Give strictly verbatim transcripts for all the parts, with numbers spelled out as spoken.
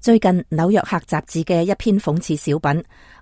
最近紐約客雜誌嘅一篇諷刺小品，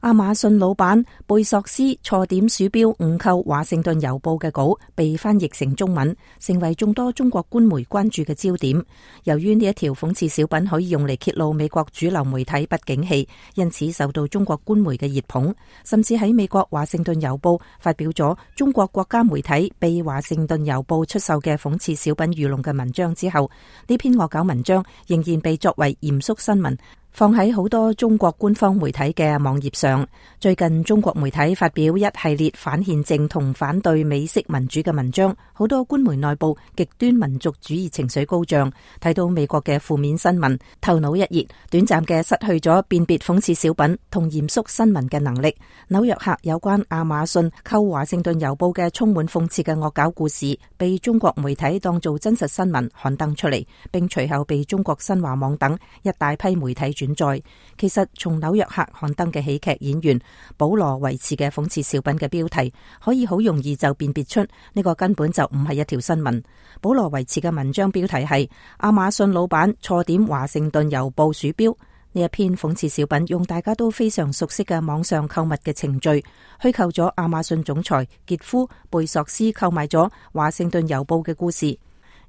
亞馬遜老闆貝索斯錯點鼠標誤扣華盛頓郵報嘅稿，被翻譯成中文，成為眾多中國官媒關注嘅焦點。由於呢一條諷刺小品可以用嚟揭露美國主流媒體不景氣，因此受到中國官媒嘅熱捧，甚至喺美國華盛頓郵報發表咗中國國家媒體被華盛頓郵報出售嘅諷刺小品愚弄嘅文章之後，呢篇惡搞文章仍然被作為嚴肅新聞放喺好多中國官方媒體嘅網頁上。最近中國媒體發表一系列反憲政同反對美式民主嘅文章，好多官媒內部極端民族主義情緒高漲，睇到美國嘅負面新聞，頭腦一熱，短暫嘅失去咗辨別諷刺小品同嚴肅新聞嘅能力。紐約客有關亞馬遜扣華盛頓郵報嘅充滿諷刺嘅惡搞故事，被中國媒體當做真實新聞刊登出嚟，並隨後被中國新華網等一大批媒體轉載。其實從紐約客刊登嘅喜劇演員保羅維茨嘅諷刺小品嘅標題，可以好容易就辨別出呢個根本就唔係一條新聞。保羅維茨嘅文章標題係亞馬遜老闆錯點華盛頓郵報鼠標。呢一篇諷刺小品用大家都非常熟悉嘅網上購物嘅程序，虛構咗亞馬遜總裁傑夫貝索斯購買咗華盛頓郵報嘅故事。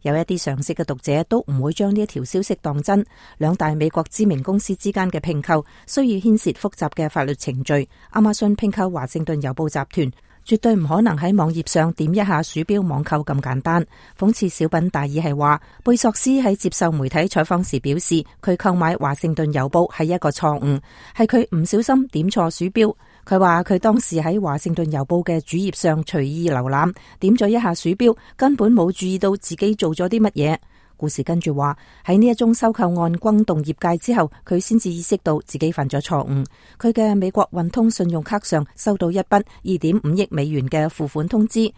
有一啲常識嘅讀者都唔會將呢一條消息當真。兩大美國知名公司之間嘅併購需要牽涉複雜嘅法律程序。亞馬遜併購華盛頓郵報集團，絕對唔可能喺網頁上點一下鼠標網購咁簡單。諷刺小品大意係話，貝索斯喺接受媒體採訪時表示，佢購買華盛頓郵報係一個錯誤，係佢唔小心點錯鼠標。佢話佢當時喺華盛頓郵報嘅主頁上隨意瀏覽，點咗一下鼠標，根本冇注意到自己做咗啲乜嘢。故事跟住話，喺呢一宗收購案轟動業界之後，佢先至意識到自己犯咗錯誤。佢嘅美國運通信用卡上收到一筆二點五億美元嘅付款通知。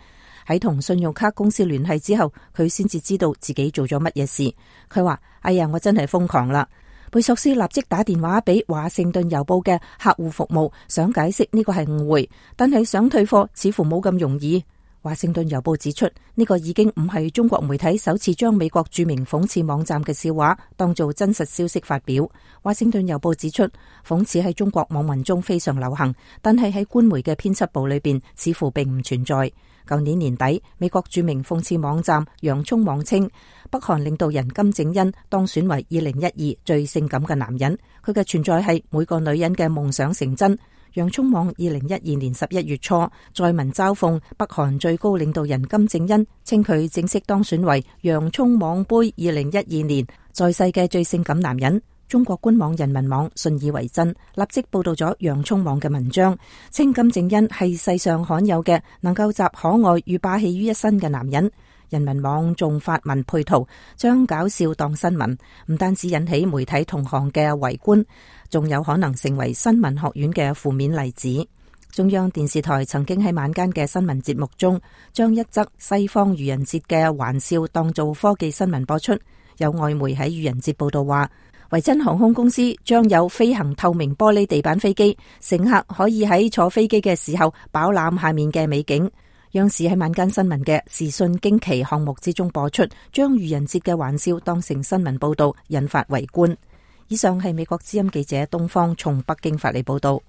喺同信用卡公司聯繫之後，佢先至知道自己做咗乜嘢事。佢話：哎呀，我真係瘋狂啦！貝索斯立即打電話俾華盛頓郵報嘅客戶服務，想解釋呢個係誤會，但係想退貨似乎冇咁容易。華盛頓郵報指出，呢個已經唔係中國媒體首次將美國著名諷刺網站嘅笑話當做真實消息發表。華盛頓郵報指出，諷刺喺中國網民中非常流行，但係喺官媒嘅編輯部裏邊似乎並唔存在。舊年年底，美國著名諷刺網站洋蔥網稱，北韓領導人金正恩當選為二零一二最性感嘅男人，佢嘅存在係每個女人嘅夢想成真。洋蔥網二零一二年十一月初載文嘲諷北韓最高領導人金正恩，稱佢正式當選為洋蔥網杯二零一二年在世嘅最性感男人。中國官網人民網信以為真，立即報道咗洋蔥網嘅文章，稱金正恩係世上罕有嘅能夠集可愛與霸氣於一身嘅男人。人民網仲發文配圖，將搞笑當新聞，唔單止引起媒體同行嘅圍觀，仲有可能成為新聞學院嘅負面例子。中央電視台曾經喺晚間嘅新聞節目中，將一則西方愚人節嘅玩笑當做科技新聞播出。有外媒喺愚人節報道話，維珍航空公司將有飛行透明玻璃地板飛機，乘客可以喺坐飛機嘅時候飽覽下面嘅美景。央視喺晚間新聞嘅時訊驚奇項目之中播出，將愚人節嘅玩笑當成新聞報道，引發圍觀。以上係美國之音記者東方從北京發嚟報道。